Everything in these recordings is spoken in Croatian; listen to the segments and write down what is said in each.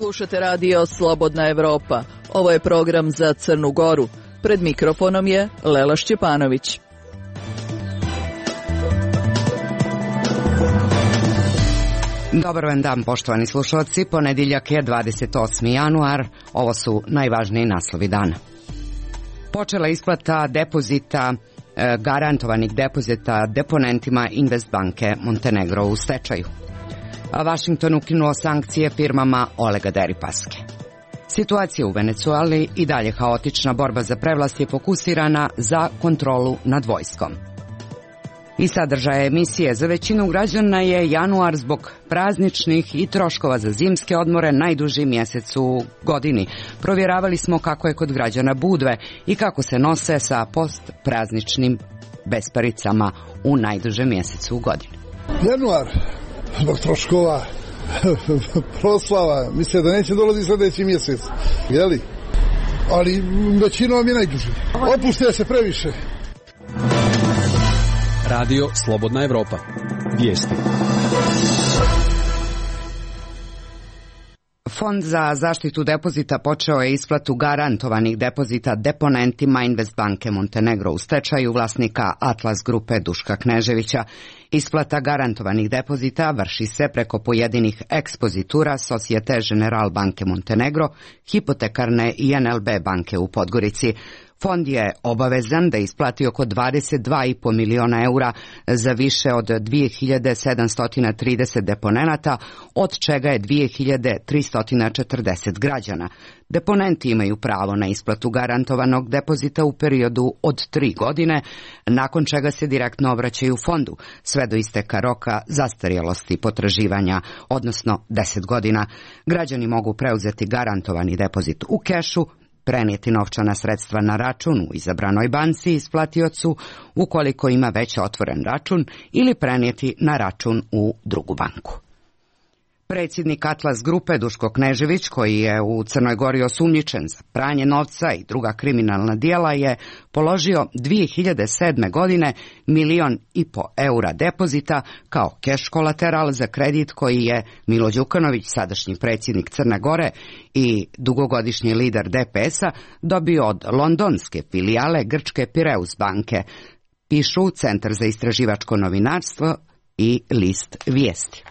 Slušate radio Slobodna Evropa. Ovo je program za Crnu Goru. Pred mikrofonom je Lela Šćepanović. Dobar vam dan, poštovani slušalci. Ponedjeljak je 28. januar. Ovo su najvažniji naslovi dana. Počela isplata depozita, garantovanih depozita deponentima Investbanke Montenegro u stečaju. Washington ukinuo sankcije firmama Olega Deripaske. Situacija u Venecueli i dalje haotična, borba za prevlast je fokusirana za kontrolu nad vojskom. I sadržaje emisije: za većinu građana je januar zbog prazničnih i troškova za zimske odmore najduži mjesec u godini. Provjeravali smo kako je kod građana Budve i kako se nose sa postprazničnim besparicama u najdužem mjesecu u godini. Januar zbog troškova, proslava, misle da neće dolaziti sljedeći mjesec, jeli? Ali većinom je najduži. Opuste se previše. Radio Slobodna Evropa. Vijesti. Fond za zaštitu depozita počeo je isplatu garantovanih depozita deponentima Investbanke Montenegro u stečaju vlasnika Atlas grupe Duška Kneževića. Isplata garantovanih depozita vrši se preko pojedinih ekspozitura Societe General banke Montenegro, hipotekarne i NLB banke u Podgorici. Fond je obavezan da isplati oko 22,5 miliona eura za više od 2730 deponenata, od čega je 2340 građana. Deponenti imaju pravo na isplatu garantovanog depozita u periodu od 3 godine, nakon čega se direktno obraćaju fondu, sve do isteka roka zastarjelosti potraživanja, odnosno 10 godina. Građani mogu preuzeti garantovani depozit u kešu, prenijeti novčana sredstva na račun u izabranoj banci isplatiocu ukoliko ima već otvoren račun ili prenijeti na račun u drugu banku. Predsjednik Atlas grupe Duško Knežević, koji je u Crnoj Gori osumnjičen za pranje novca i druga kriminalna djela, je položio 2007. godine 1,5 miliona eura depozita kao keš kolateral za kredit koji je Milo Đukanović, sadašnji predsjednik Crne Gore i dugogodišnji lider DPS-a, dobio od londonske filijale grčke Pireus banke, pišu Centar za istraživačko novinarstvo i list Vijesti.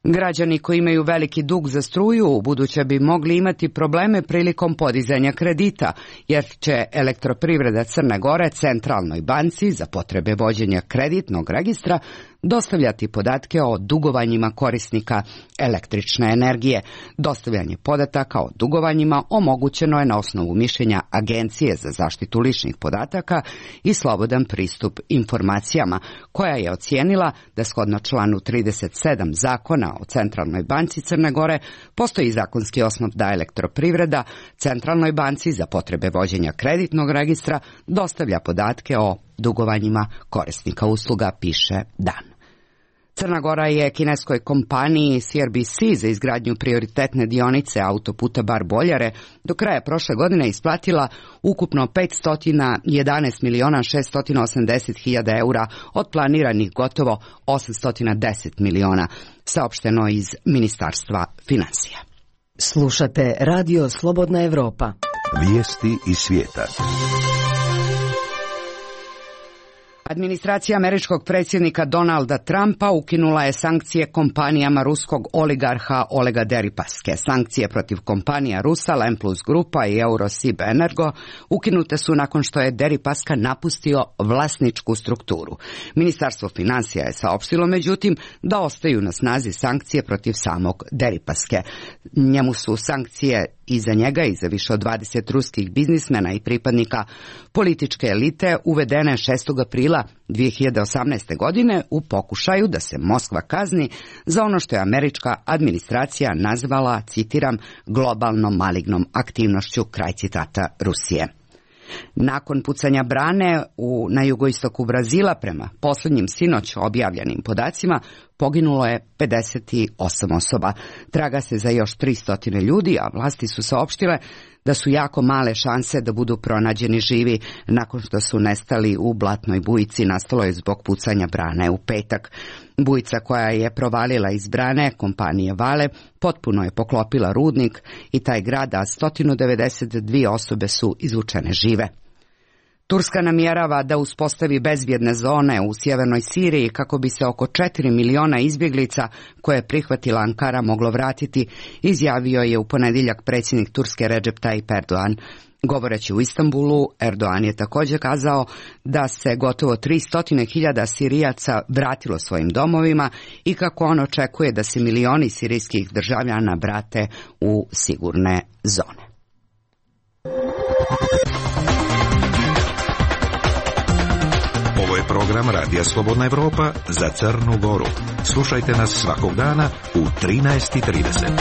Građani koji imaju veliki dug za struju ubuduće bi mogli imati probleme prilikom podizanja kredita, jer će Elektroprivreda Crne Gore Centralnoj banci za potrebe vođenja kreditnog registra dostavljati podatke o dugovanjima korisnika električne energije. Dostavljanje podataka o dugovanjima omogućeno je na osnovu mišljenja Agencije za zaštitu ličnih podataka i slobodan pristup informacijama, koja je ocijenila da shodno članu 37 zakona o Centralnoj banci Crne Gore postoji zakonski osnov da Elektroprivreda Centralnoj banci za potrebe vođenja kreditnog registra dostavlja podatke o dugovanjima korisnika usluga, piše Dan. Crna Gora je kineskoj kompaniji CRBC za izgradnju prioritetne dionice autoputa Bar-Boljare do kraja prošle godine isplatila ukupno 511.680.000 eura od planiranih gotovo 810 miliona, saopšteno iz Ministarstva financija. Slušate radio Slobodna Evropa. Vijesti iz svijeta. Administracija američkog predsjednika Donalda Trumpa ukinula je sankcije kompanijama ruskog oligarha Olega Deripaske. Sankcije protiv kompanija Rusal, M+ Grupa i Eurosib Energo ukinute su nakon što je Deripaska napustio vlasničku strukturu. Ministarstvo financija je saopštilo međutim da ostaju na snazi sankcije protiv samog Deripaske. Njemu su sankcije i za njega i za više od 20 ruskih biznismena i pripadnika političke elite uvedene 6. aprila 2018. godine u pokušaju da se Moskva kazni za ono što je američka administracija nazvala, citiram, globalnom malignom aktivnošću, kraj citata Rusije. Nakon pucanja brane na jugoistoku Brazila, prema posljednjim sinoć objavljenim podacima, poginulo je 58 osoba. Traga se za još 300 ljudi, a vlasti su saopštile da su jako male šanse da budu pronađeni živi nakon što su nestali u blatnoj bujici, nastalo je zbog pucanja brane u petak. Bujica koja je provalila iz brane kompanije Vale potpuno je poklopila rudnik i taj grad, a 192 osobe su izvučene žive. Turska namjerava da uspostavi bezbjedne zone u sjevernoj Siriji kako bi se oko 4 miliona izbjeglica koje je prihvatila Ankara moglo vratiti, izjavio je u ponedjeljak predsjednik Turske Recep Tayyip Erdogan. Govoreći u Istanbulu, Erdogan je također kazao da se gotovo 300.000 Sirijaca vratilo svojim domovima i kako on očekuje da se milioni sirijskih državljana vrate u sigurne zone. Ovo je program Radija Slobodna Evropa za Crnu Goru. Slušajte nas svakog dana u 13:30.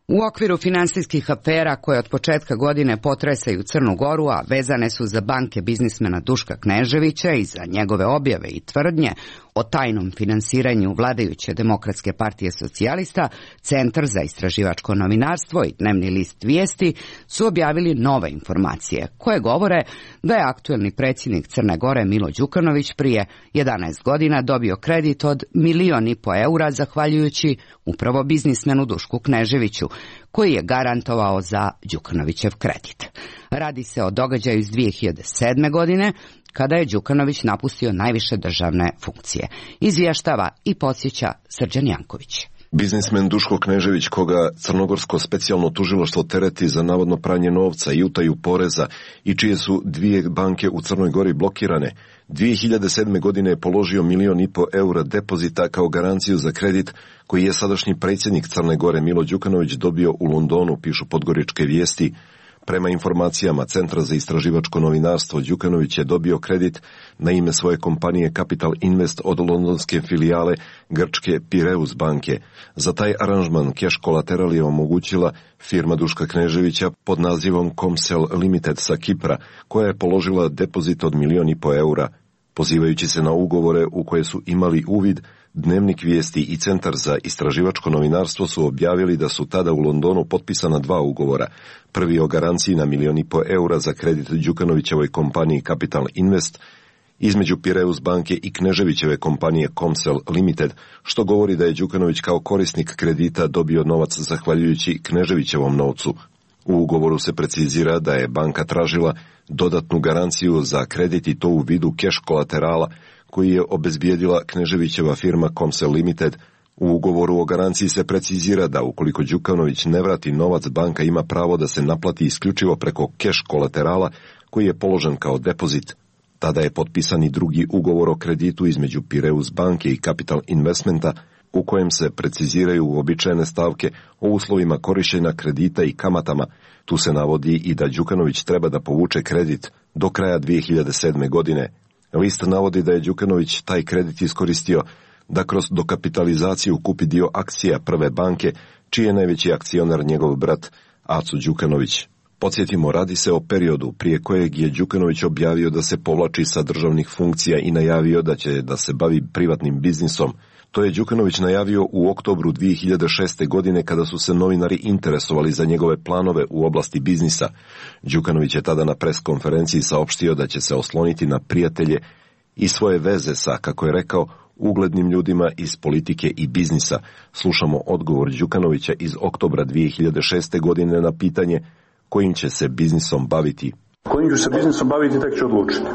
U okviru finansijskih afera koje od početka godine potresaju Crnu Goru, a vezane su za banke biznismena Duška Kneževića i za njegove objave i tvrdnje o tajnom finansiranju vladajuće Demokratske partije socijalista, Centar za istraživačko novinarstvo i dnevni list Vijesti su objavili nove informacije koje govore da je aktuelni predsjednik Crne Gore Milo Đukanović prije 11 godina dobio kredit od 1,5 miliona eura zahvaljujući upravo biznismenu Dušku Kneževiću, koji je garantovao za Đukanovićev kredit. Radi se o događaju iz 2007. godine, kada je Đukanović napustio najviše državne funkcije. Izvještava i podsjeća Srđan Janković. Biznismen Duško Knežević, koga Crnogorsko specijalno tužilaštvo tereti za navodno pranje novca i utaju poreza i čije su 2 banke u Crnoj Gori blokirane, 2007. godine je položio 1,5 miliona eura depozita kao garanciju za kredit koji je sadašnji predsjednik Crne Gore Milo Đukanović dobio u Londonu, pišu Podgoričke vijesti. Prema informacijama Centra za istraživačko novinarstvo, Đukanović je dobio kredit na ime svoje kompanije Capital Invest od londonske filijale grčke Pireus banke. Za taj aranžman keš kolateral je omogućila firma Duška Kneževića pod nazivom Comcel Limited sa Kipra, koja je položila depozit od 1,5 miliona eura. Pozivajući se na ugovore u koje su imali uvid, Dnevnik Vijesti i Centar za istraživačko novinarstvo su objavili da su tada u Londonu potpisana 2 ugovora. Prvi o garanciji na 1,5 miliona eura za kredit Đukanovićevoj kompaniji Capital Invest između Pireus banke i Kneževićeve kompanije Comcel Limited, što govori da je Đukanović kao korisnik kredita dobio novac zahvaljujući Kneževićevom novcu. U ugovoru se precizira da je banka tražila dodatnu garanciju za kredit i to u vidu keš kolaterala koji je obezbijedila Kneževićeva firma Comcel Limited. U ugovoru o garanciji se precizira da ukoliko Đukanović ne vrati novac, banka ima pravo da se naplati isključivo preko keš kolaterala koji je položen kao depozit. Tada je potpisan i drugi ugovor o kreditu između Pireus banke i Capital Investmenta, u kojem se preciziraju uobičajene stavke o uslovima korištenja kredita i kamatama. Tu se navodi i da Đukanović treba da povuče kredit do kraja 2007. godine. List navodi da je Đukanović taj kredit iskoristio da kroz dokapitalizaciju kupi dio akcija Prve banke, čiji je najveći akcionar njegov brat Aco Đukanović. Podsjetimo, radi se o periodu prije kojeg je Đukanović objavio da se povlači sa državnih funkcija i najavio da će da se bavi privatnim biznisom. To je Đukanović najavio u oktobru 2006. godine kada su se novinari interesovali za njegove planove u oblasti biznisa. Đukanović je tada na pres konferenciji saopštio da će se osloniti na prijatelje i svoje veze sa, kako je rekao, uglednim ljudima iz politike i biznisa. Slušamo odgovor Đukanovića iz oktobra 2006. godine na pitanje kojim će se biznisom baviti. Kojim ću se biznisom baviti tek ću odlučiti.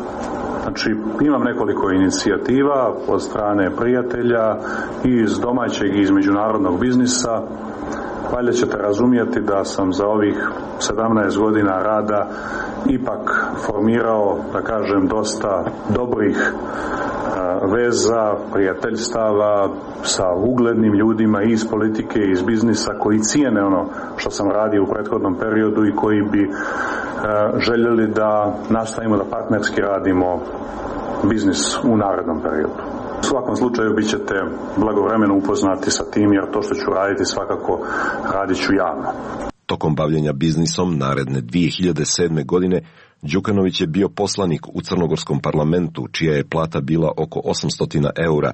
Znači, imam nekoliko inicijativa od strane prijatelja i iz domaćeg i iz međunarodnog biznisa. Valjda ćete razumjeti da sam za ovih 17 godina rada ipak formirao, da kažem, dosta dobrih veza, prijateljstava sa uglednim ljudima i iz politike i iz biznisa koji cijene ono što sam radio u prethodnom periodu i koji bi željeli da nastavimo da partnerski radimo biznis u narednom periodu. U svakom slučaju bit ćete blagovremeno upoznati sa tim, jer to što ću raditi svakako radit ću javno. Tokom bavljenja biznisom naredne 2007. godine Đukanović je bio poslanik u crnogorskom parlamentu, čija je plata bila oko 800 eura.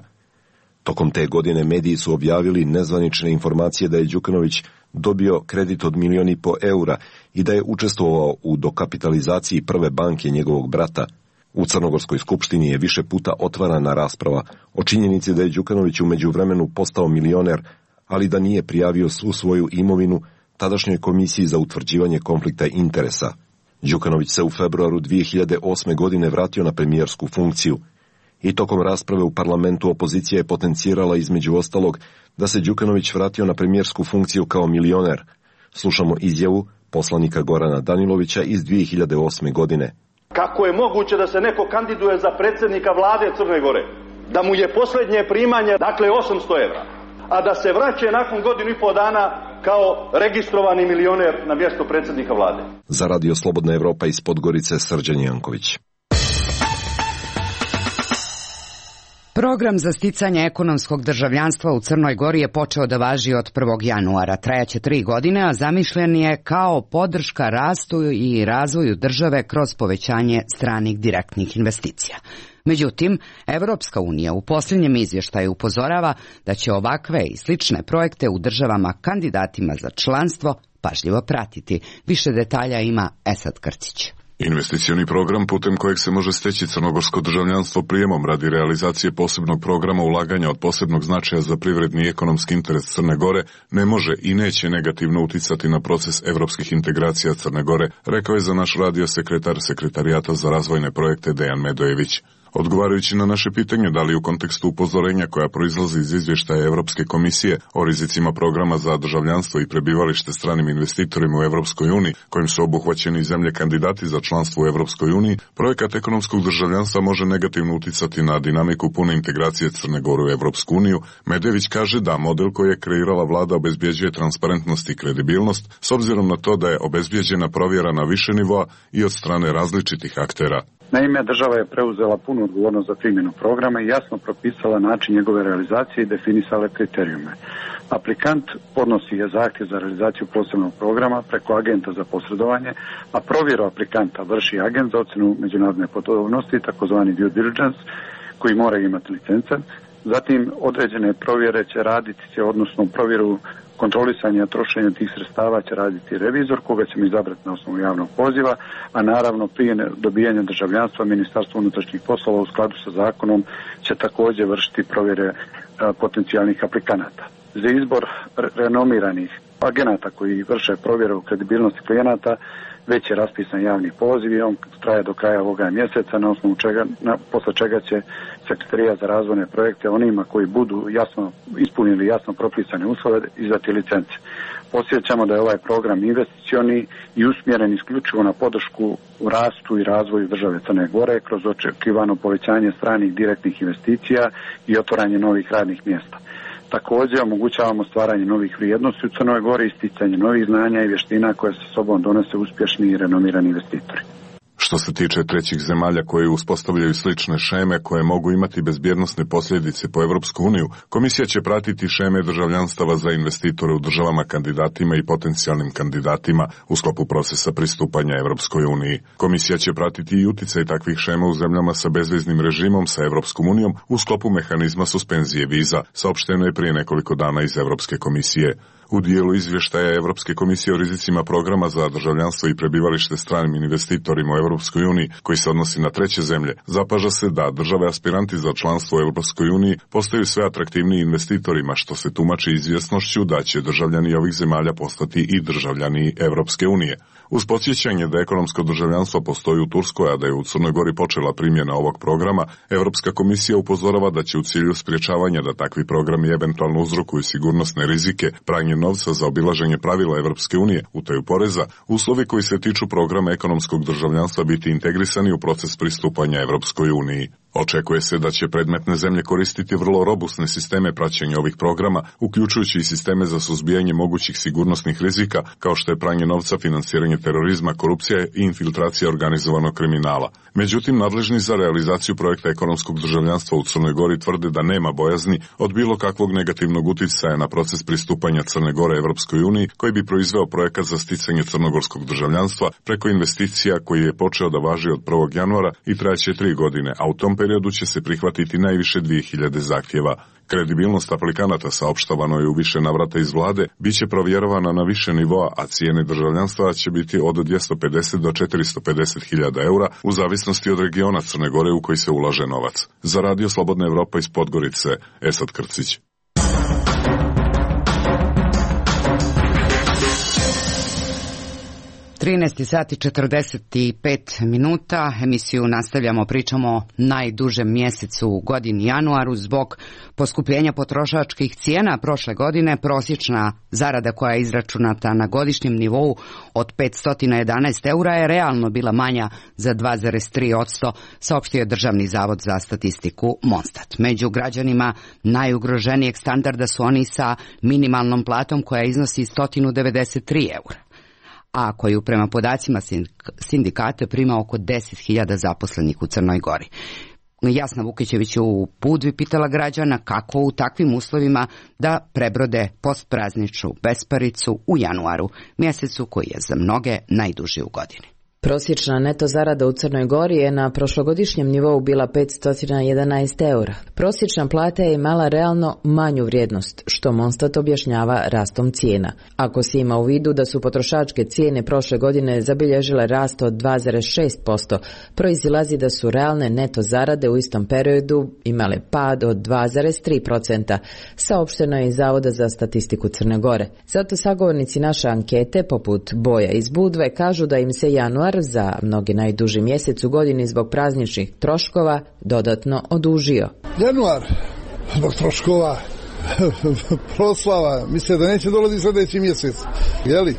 Tokom te godine mediji su objavili nezvanične informacije da je Đukanović dobio kredit od 1,5 miliona eura i da je učestvovao u dokapitalizaciji prve banke njegovog brata. U Crnogorskoj skupštini je više puta otvarana rasprava o činjenici da je Đukanović u međuvremenu postao milioner, ali da nije prijavio svu svoju imovinu tadašnjoj komisiji za utvrđivanje konflikta interesa. Đukanović se u februaru 2008. godine vratio na premijersku funkciju i tokom rasprave u parlamentu opozicija je potencirala između ostalog da se Đukanović vratio na premijersku funkciju kao milioner. Slušamo izjavu poslanika Gorana Danilovića iz 2008. godine. Kako je moguće da se neko kandiduje za predsjednika vlade Crne Gore, da mu je posljednje primanje, dakle 800 evra, a da se vraća nakon 1,5 dana kao registrovani milioner na mjesto predsjednika vlade? Za Radio Slobodna Evropa iz Podgorice, Srđan Janković. Program za sticanje ekonomskog državljanstva u Crnoj Gori je počeo da važi od 1. januara. Trajaće 3 godine, a zamišljen je kao podrška rastu i razvoju države kroz povećanje stranih direktnih investicija. Međutim, Evropska unija u posljednjem izvještaju upozorava da će ovakve i slične projekte u državama kandidatima za članstvo pažljivo pratiti. Više detalja ima Esad Krcić. Investicioni program putem kojeg se može steći crnogorsko državljanstvo prijemom radi realizacije posebnog programa ulaganja od posebnog značaja za privredni i ekonomski interes Crne Gore ne može i neće negativno uticati na proces evropskih integracija Crne Gore, rekao je za naš radio sekretar Sekretarijata za razvojne projekte Dejan Medojević. Odgovarajući na naše pitanje da li u kontekstu upozorenja koja proizlazi iz izvještaja Evropske komisije o rizicima programa za državljanstvo i prebivalište stranim investitorima u Evropskoj uniji, kojim su obuhvaćeni zemlje kandidati za članstvo u Evropskoj uniji, projekat ekonomskog državljanstva može negativno uticati na dinamiku pune integracije Crne Gore u Evropsku uniju. Medević kaže da model koji je kreirala vlada obezbjeđuje transparentnost i kredibilnost, s obzirom na to da je obezbjeđena provjera na više nivoa i od strane različitih aktera. Naime, država je preuzela punu odgovornost za primjenu programa i jasno propisala način njegove realizacije i definisala kriterijume. Aplikant podnosi je zahtjev za realizaciju posebnog programa preko agenta za posredovanje, a provjeru aplikanta vrši agent za ocjenu međunarodne podobnosti, takozvani due diligence, koji mora imati licence. Zatim, određene provjere će raditi, odnosno provjeru kontrolisanja trošenja tih sredstava će raditi revizor, koga ćemo izabrati na osnovu javnog poziva, a naravno prije dobijanja državljanstva Ministarstvo unutrašnjih poslova u skladu sa zakonom će također vršiti provjere potencijalnih aplikanata. Za izbor renomiranih agenata koji vrše provjeru kredibilnosti klijenata već je raspisan javni poziv i on traje do kraja ovoga mjeseca, na osnovu čega, posle čega će Sekretarijat za razvojne projekte onima koji budu ispunili jasno propisane uslove izdati licence. Podsjećamo da je ovaj program investicioni i usmjeren isključivo na podršku u rastu i razvoju države Crne Gore kroz očekivano povećanje stranih direktnih investicija i otvaranje novih radnih mjesta. Također omogućavamo stvaranje novih vrijednosti u Crnoj Gori i sticanje novih znanja i vještina koje sa sobom donose uspješni i renomirani investitori. Što se tiče trećih zemalja koje uspostavljaju slične šeme koje mogu imati bezbjednosne posljedice po Evropsku uniju, komisija će pratiti šeme državljanstava za investitore u državama kandidatima i potencijalnim kandidatima u sklopu procesa pristupanja Evropskoj uniji. Komisija će pratiti i uticaj takvih šema u zemljama sa bezviznim režimom sa Evropskom unijom u sklopu mehanizma suspenzije viza, saopšteno je prije nekoliko dana iz Evropske komisije. U dijelu izvještaja Evropske komisije o rizicima programa za državljanstvo i prebivalište stranim investitorima u Evropskoj uniji, koji se odnosi na treće zemlje, zapaža se da države aspiranti za članstvo u Evropskoj uniji postaju sve atraktivniji investitorima, što se tumači izvjesnošću da će državljani ovih zemalja postati i državljani Evropske unije. Uz podsjećanje da ekonomsko državljanstvo postoji u Turskoj, a da je u Crnoj Gori počela primjena ovog programa, Evropska komisija upozorava da će u cilju sprječavanja da takvi programi eventualno uzrokuju sigurnosne rizike, pranje novca za obilaženje pravila Evropske unije, utaju poreza, uslovi koji se tiču programa ekonomskog državljanstva biti integrisani u proces pristupanja Evropskoj uniji. Očekuje se da će predmetne zemlje koristiti vrlo robustne sisteme praćenja ovih programa, uključujući i sisteme za suzbijanje mogućih sigurnosnih rizika, kao što je pranje novca, finansiranje terorizma, korupcija i infiltracija organizovanog kriminala. Međutim, nadležni za realizaciju projekta ekonomskog državljanstva u Crnoj Gori tvrde da nema bojazni od bilo kakvog negativnog uticaja na proces pristupanja Crne Gore Evropskoj uniji, koji bi proizveo projekat za sticanje crnogorskog državljanstva preko investicija koji je počeo da važi od 1. januara i trajaće 3 godine, a u tom periodu će se prihvatiti najviše 2000 zahtjeva. Kredibilnost aplikanata, saopštavano je u više navrata iz vlade, bit će provjerovana na više nivoa, a cijene državljanstva će biti od 250 do 450.000 eura u zavisnosti od regiona Crne Gore u koji se ulaže novac. Za Radio Slobodna Evropa iz Podgorice, Esad Krcić. 13 sati 45 minuta, emisiju nastavljamo, pričamo o najdužem mjesecu u godini januaru. Zbog poskupljenja potrošačkih cijena prošle godine prosječna zarada koja je izračunata na godišnjem nivou od 511 eura je realno bila manja za 2,3%, saopštio je Državni zavod za statistiku Monstat. Među građanima najugroženijeg standarda su oni sa minimalnom platom koja iznosi 193 eura, a koju prema podacima sindikata prima oko 10.000 zaposlenih u Crnoj Gori. Jasna Vukićević je u Budvi pitala građana kako u takvim uslovima da prebrode postprazničnu besparicu u januaru, mjesecu koji je za mnoge najduži u godini. Prosječna neto zarada u Crnoj Gori je na prošlogodišnjem nivou bila 511 eura. Prosječna plata je imala realno manju vrijednost, što Monstat objašnjava rastom cijena. Ako se ima u vidu da su potrošačke cijene prošle godine zabilježile rast od 2,6%, proizilazi da su realne neto zarade u istom periodu imale pad od 2,3%, saopšteno je iz Zavoda za statistiku Crne Gore. Zato sagovornici naše ankete, poput Boja iz Budve, kažu da im se januar, za mnogi najduži mjesec u godini zbog prazničnih troškova, dodatno odužio. Januar, zbog troškova, proslava, misle da neće dolaziti sljedeći mjesec. Jeli?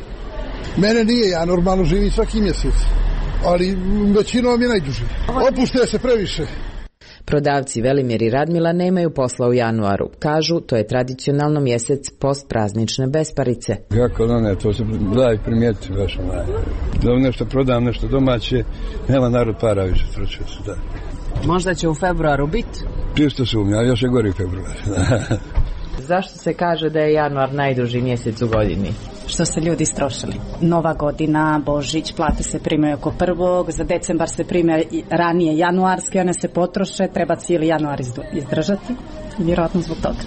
Mene nije, ja normalno živim svaki mjesec, ali većinom je najduži. Opuste se previše. Prodavci Velimir i Radmila nemaju posla u januaru. Kažu, to je tradicionalno mjesec postpraznične besparice. Kako da ne, to se da i primijeti baš onaj. Da nešto prodam, nešto domaće, nema narod para više, tročio se da. Možda će u februaru biti? Čisto sumnja, još je gori februar. Zašto se kaže da je januar najduži mjesec u godini? Što se ljudi istrošili. Nova godina, Božić, plate se primaju oko 1. Za decembar se prime ranije januarske, one se potroše, treba cijeli januar izdržati. Vjerojatno zbog toga.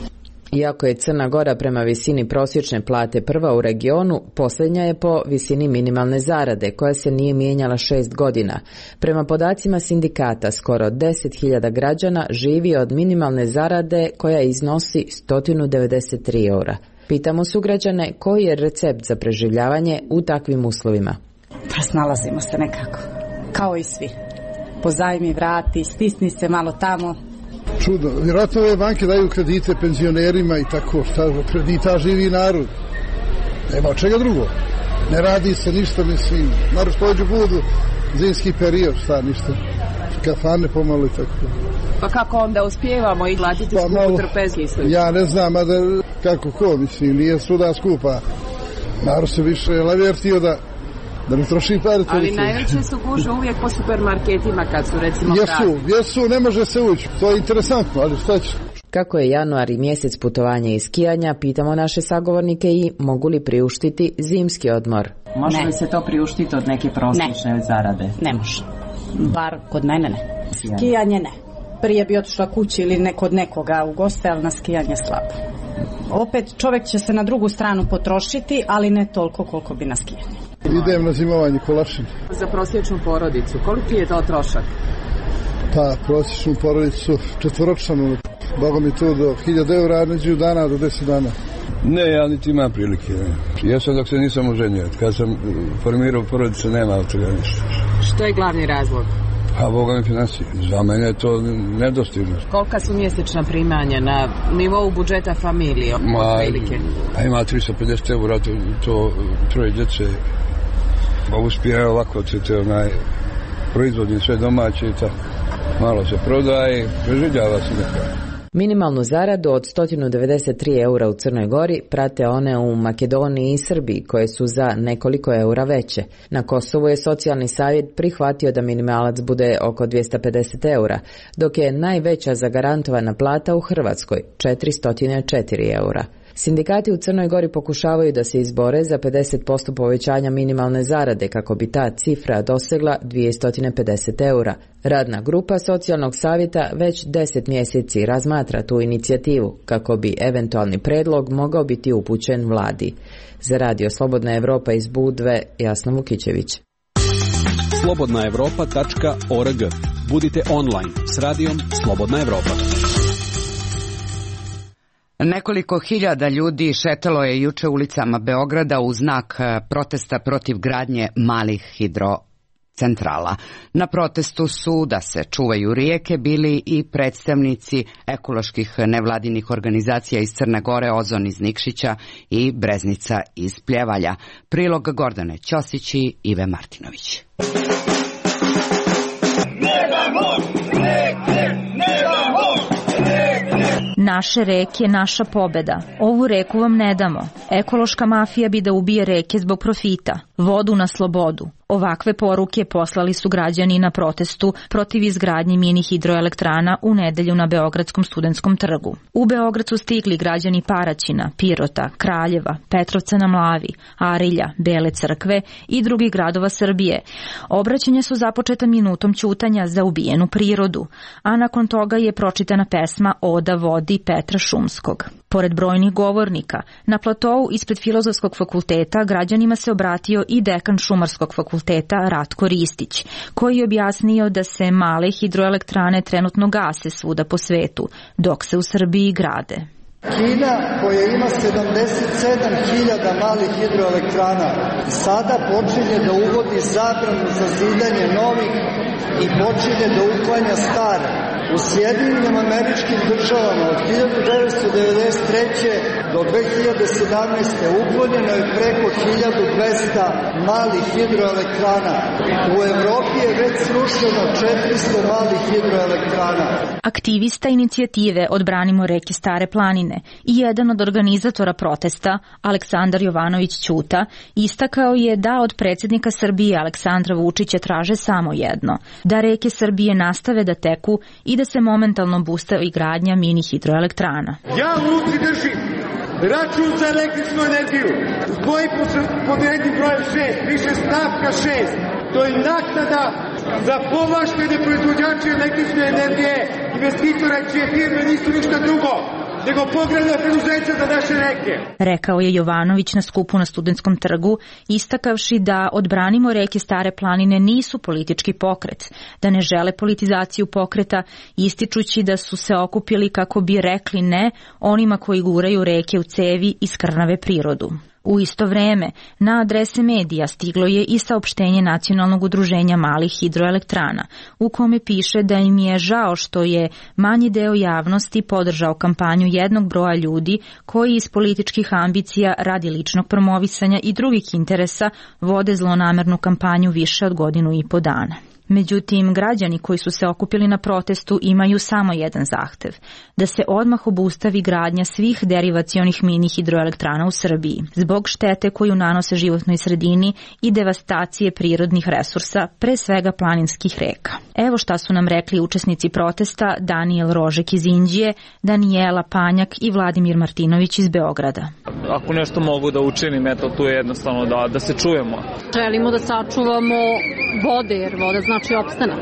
Iako je Crna Gora prema visini prosječne plate prva u regionu, posljednja je po visini minimalne zarade, koja se nije mijenjala 6 godina. Prema podacima sindikata, skoro 10.000 građana živi od minimalne zarade koja iznosi 193 eura. Pitamo sugrađane koji je recept za preživljavanje u takvim uslovima. Pa snalazimo se nekako, kao i svi. Pozajmi, vrati, stisni se malo tamo. Čudno, vjerojatno ove banke daju kredite penzionerima i tako, šta kredita živi narod. Nema od čega drugo. Ne radi se ništa, mislim, narod pođu budu, zimski period, šta ništa. Kafane pomalo i tako. Pa kako onda uspijevamo i glatiti skupu trpezli? Ja ne znam, a da kako ko, mislim, nije svuda skupa. Narod se više levertio da ne troši pare. Ali najveće su gužve uvijek po supermarketima kad su recimo Jesu, ne može se ući. To je interesantno, ali šta će? Kako je januar i mjesec putovanja i skijanja, pitamo naše sagovornike i mogu li priuštiti zimski odmor. Može li se to priuštiti od neke prosječne zarade? Ne može. Bar kod mene ne. Skijanje ne. Prije bi otišla kući ili kod nekoga u goste, ali na skijanje slabo. Opet čovjek će se na drugu stranu potrošiti, ali ne toliko koliko bi na skijanje. Idem na zimovanje Kolašin. Za prosječnu porodicu, koliki je to trošak? Pa, prosječnu porodicu četvoročanu, Boga mi to do 1000 eura, neđu dana do 10 dana. Ne, ja niti imam prilike. Ja sam dok se nisam oženio. Kad sam formirao porodicu, nema od toga ništa. Što je glavni razlog? Pa, Boga mi financije. Za mene je to nedostižno. Kolika su mjesečna primanja na nivou budžeta familije? Ima 350 eura, to troje djece. Pa uspije ovako, te proizvodi sve domaće i tako. malo se prodaje, preživljava se nekako. Minimalnu zaradu od 193 eura u Crnoj Gori prate one u Makedoniji i Srbiji, koje su za nekoliko eura veće. Na Kosovu je socijalni savjet prihvatio da minimalac bude oko 250 eura, dok je najveća zagarantovana plata u Hrvatskoj 404 eura. Sindikati u Crnoj Gori pokušavaju da se izbore za 50% povećanja minimalne zarade kako bi ta cifra dosegla 250 eura. Radna grupa socijalnog savjeta već 10 mjeseci razmatra tu inicijativu kako bi eventualni predlog mogao biti upućen vladi. Za Radio Slobodna Evropa iz Budve, Jasna Vukićević. slobodnaevropa.org. Budite online s radijom Slobodna Evropa. Nekoliko hiljada ljudi šetalo je juče ulicama Beograda u znak protesta protiv gradnje malih hidrocentrala. Na protestu su da se čuvaju rijeke bili i predstavnici ekoloških nevladinih organizacija iz Crne Gore, Ozon iz Nikšića i Breznica iz Pljevalja. Prilog Gordane Ćosić i Ive Martinović. Naše reke, naša pobeda. Ovu reku vam ne damo. Ekološka mafija bi da ubije reke zbog profita. Vodu na slobodu. Ovakve poruke poslali su građani na protestu protiv izgradnje mini hidroelektrana u nedelju na Beogradskom studentskom trgu. U Beograd su stigli građani Paraćina, Pirota, Kraljeva, Petrovca na Mlavi, Arilja, Bele Crkve i drugih gradova Srbije. Obraćanja su započeta minutom ćutanja za ubijenu prirodu, a nakon toga je pročitana pesma Oda vodi Petra Šumskog. Pored brojnih govornika, na platou ispred Filozofskog fakulteta građanima se obratio i dekan Šumarskog fakulteta Ratko Ristić, koji je objasnio da se male hidroelektrane trenutno gase svuda po svetu, dok se u Srbiji grade. Kina, koja ima 77.000 malih hidroelektrana, sada počinje da uvodi zabranu za zidanje novih i počinje da uklanja stare. U Sjedinjenim Američkim Državama od 1993. do 2017. uklonjeno je preko 1200 malih hidroelektrana. U Evropi je već srušeno 400 malih hidroelektrana. Aktivista inicijative Odbranimo reke Stare planine i jedan od organizatora protesta, Aleksandar Jovanović Ćuta, istakao je da od predsjednika Srbije Aleksandra Vučića traže samo jedno, da reke Srbije nastave da teku i da se momentalno bustavi gradnja mini hidroelektrana. Ja u ruci držim račun za električnu energiju. Stoji pod jednim brojem 6, piše stavka 6. To je naknada za povlaštene proizvođače električne energije, investitora čije firme nisu ništa drugo nego pogrebna preduzeća za naše reke. Rekao je Jovanović na skupu na Studentskom trgu, istakavši da Odbranimo reke Stare planine nisu politički pokret, da ne žele politizaciju pokreta, ističući da su se okupili kako bi rekli ne onima koji guraju reke u cevi i skrnave prirodu. U isto vreme, na adrese medija stiglo je i saopštenje Nacionalnog udruženja malih hidroelektrana, u kome piše da im je žao što je manji deo javnosti podržao kampanju jednog broja ljudi koji iz političkih ambicija radi ličnog promovisanja i drugih interesa vode zlonamernu kampanju više od godinu i po dana. Međutim, građani koji su se okupili na protestu imaju samo jedan zahtev, da se odmah obustavi gradnja svih derivacionih mini hidroelektrana u Srbiji, zbog štete koju nanose životnoj sredini i devastacije prirodnih resursa, pre svega planinskih reka. Evo šta su nam rekli učesnici protesta Danijel Rožek iz Inđije, Danijela Panjak i Vladimir Martinović iz Beograda. Ako nešto mogu da učinim, eto tu je jednostavno da se čujemo. Želimo da sačuvamo vode, jer voda znači opstanak.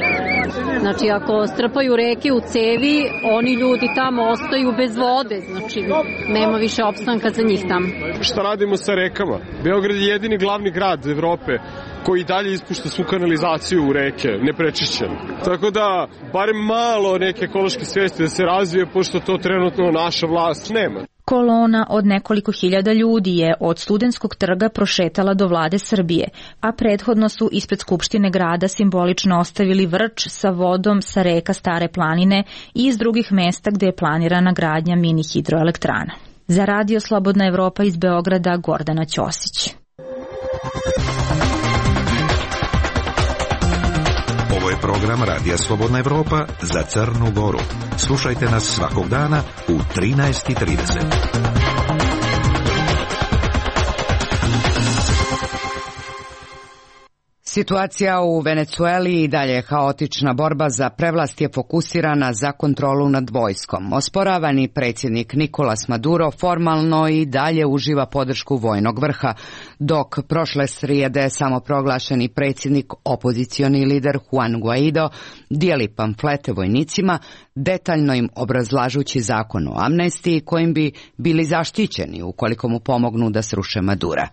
Znači ako strpaju reke u cevi, oni ljudi tamo ostaju bez vode, znači nema više opstanka za njih tamo. Šta radimo sa rekama? Beograd je jedini glavni grad Evrope koji dalje ispušta svu kanalizaciju u reke, neprečišćenu. Tako da, barem malo neke ekološke svijesti da se razvije, pošto to trenutno naša vlast nema. Kolona od nekoliko hiljada ljudi je od Studentskog trga prošetala do vlade Srbije, a prethodno su ispred Skupštine grada simbolično ostavili vrč sa vodom sa reka Stare planine i iz drugih mesta gde je planirana gradnja mini hidroelektrana. Za Radio Slobodna Evropa iz Beograda, Gordana Ćosić. Ovo je program Radija Slobodna Evropa za Crnu Goru. Slušajte nas svakog dana u 13:30. Situacija u Venecueli i dalje je haotična. Borba za prevlast je fokusirana za kontrolu nad vojskom. Osporavani predsjednik Nicolas Maduro formalno i dalje uživa podršku vojnog vrha, dok prošle srijede samoproglašeni predsjednik, opozicioni lider Juan Guaido, dijeli pamflete vojnicima, detaljno im obrazlažući zakon o amnestiji kojim bi bili zaštićeni ukoliko mu pomognu da sruše Madura.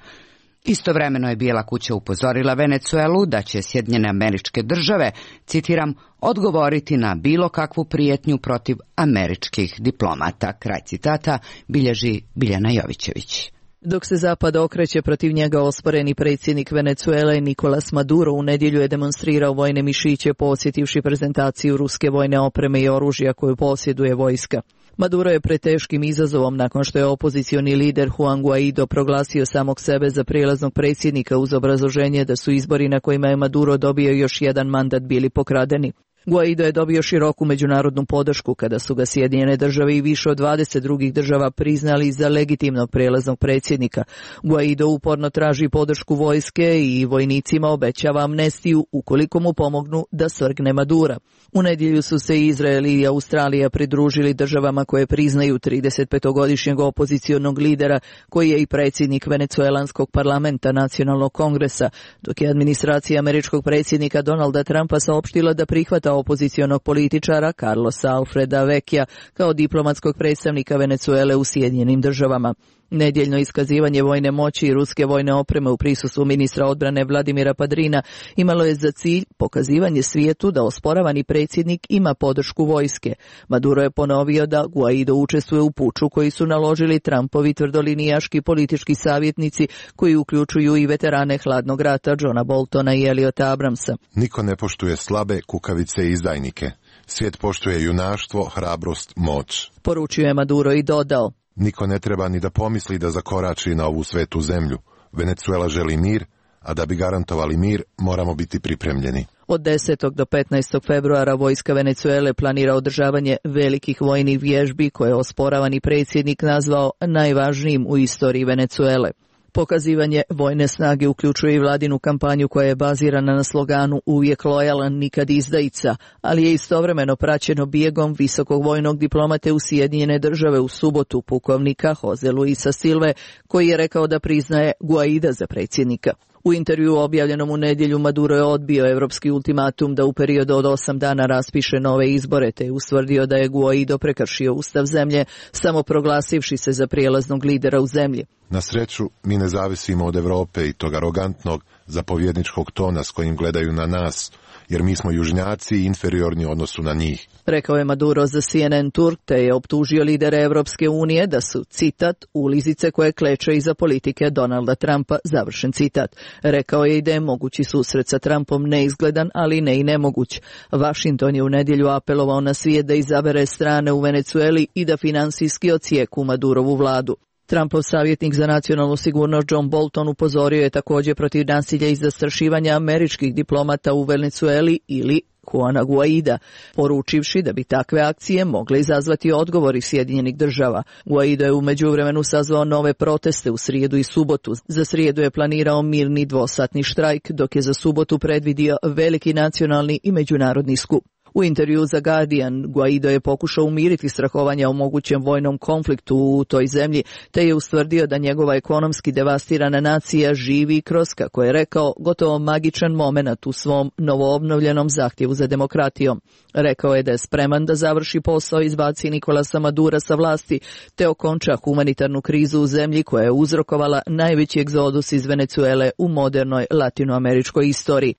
Istovremeno je Bijela kuća upozorila Venecuelu da će Sjedinjene Američke Države, citiram, odgovoriti na bilo kakvu prijetnju protiv američkih diplomata. Kraj citata bilježi Biljana Jovićević. Dok se Zapad okreće protiv njega, osporeni predsjednik Venecuele Nicolas Maduro u nedjelju je demonstrirao vojne mišiće posjetivši prezentaciju ruske vojne opreme i oružja koju posjeduje vojska. Maduro je pred teškim izazovom nakon što je opozicioni lider Juan Guaido proglasio samog sebe za prijelaznog predsjednika uz obrazloženje da su izbori na kojima je Maduro dobio još jedan mandat bili pokradeni. Guaido je dobio široku međunarodnu podršku kada su ga Sjedinjene Države i više od 20 drugih država priznali za legitimnog prijelaznog predsjednika. Guaido uporno traži podršku vojske i vojnicima obećava amnestiju ukoliko mu pomognu da svrgne Madura. U nedjelju su se Izrael i Australija pridružili državama koje priznaju 35-godišnjeg opozicionog lidera koji je i predsjednik venecuelanskog parlamenta Nacionalnog kongresa, dok je administracija američkog predsjednika Donalda Trumpa saopštila da prihvata opozicionog političara Carlosa Alfreda Vecchia kao diplomatskog predstavnika Venecuele u Sjedinjenim Državama. Nedjeljno iskazivanje vojne moći i ruske vojne opreme u prisustvu ministra odbrane Vladimira Padrina imalo je za cilj pokazivanje svijetu da osporavani predsjednik ima podršku vojske. Maduro je ponovio da Guaido učestvuje u puču koji su naložili Trumpovi tvrdolinijaški politički savjetnici koji uključuju i veterane hladnog rata Johna Boltona i Eliota Abramsa. Niko ne poštuje slabe, kukavice i izdajnike. Svijet poštuje junaštvo, hrabrost, moć. Poručio je Maduro i dodao: niko ne treba ni da pomisli da zakorači na ovu svetu zemlju. Venecuela želi mir, a da bi garantovali mir, moramo biti pripremljeni. Od 10. do 15. februara vojska Venecuele planira održavanje velikih vojnih vježbi koje je osporavani predsjednik nazvao najvažnijim u istoriji Venecuele. Pokazivanje vojne snage uključuje i vladinu kampanju koja je bazirana na sloganu uvijek lojalan, nikad izdajica, ali je istovremeno praćeno bijegom visokog vojnog diplomate u Sjedinjene Države u subotu, pukovnika Jose Luisa Silve, koji je rekao da priznaje Guaida za predsjednika. U intervju objavljenom u nedjelju Maduro je odbio evropski ultimatum da u periodu od 8 dana raspiše nove izbore, te je ustvrdio da je Guaido prekršio ustav zemlje, samo proglasivši se za prijelaznog lidera u zemlji. Na sreću, mi ne zavisimo od Europe i tog arogantnog zapovjedničkog tona s kojim gledaju na nas, jer mi smo južnjaci i inferiorni u odnosu na njih. Rekao je Maduro za CNN Turk, te je optužio lidere Evropske unije da su, citat, ulizice koje kleče iza politike Donalda Trumpa, završen citat. Rekao je i da je mogući susret sa Trumpom neizgledan, ali ne i nemoguć. Washington je u nedjelju apelovao na svijet da izabere strane u Venecueli i da finansijski ocijeku Madurovu vladu. Trumpov savjetnik za nacionalnu sigurnost John Bolton upozorio je također protiv nasilja i zastrašivanja američkih diplomata u Venecueli ili Juana Guaida, poručivši da bi takve akcije mogle izazvati odgovori Sjedinjenih Država. Guaido je u međuvremenu sazvao nove proteste u srijedu i subotu. Za srijedu je planirao mirni dvosatni štrajk, dok je za subotu predvidio veliki nacionalni i međunarodni skup. U intervju za Guardian, Guaido je pokušao umiriti strahovanja o mogućem vojnom konfliktu u toj zemlji, te je ustvrdio da njegova ekonomski devastirana nacija živi kroz, kako je rekao, gotovo magičan momenat u svom novoobnovljenom zahtjevu za demokratijom. Rekao je da je spreman da završi posao i izbaci Nicolasa Madura sa vlasti, te okonča humanitarnu krizu u zemlji koja je uzrokovala najveći egzodus iz Venecuele u modernoj latinoameričkoj istoriji.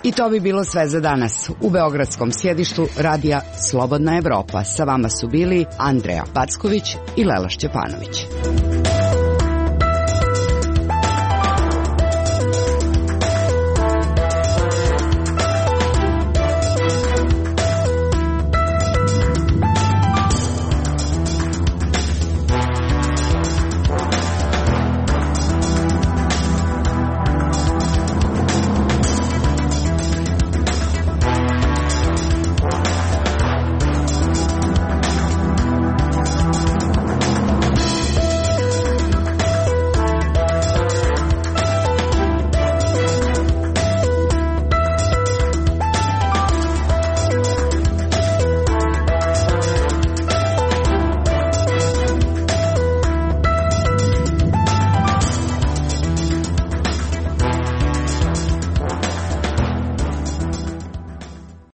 I to bi bilo sve za danas. U beogradskom sjedištu radija Slobodna Evropa sa vama su bili Andreja Packović i Lela Šćepanović.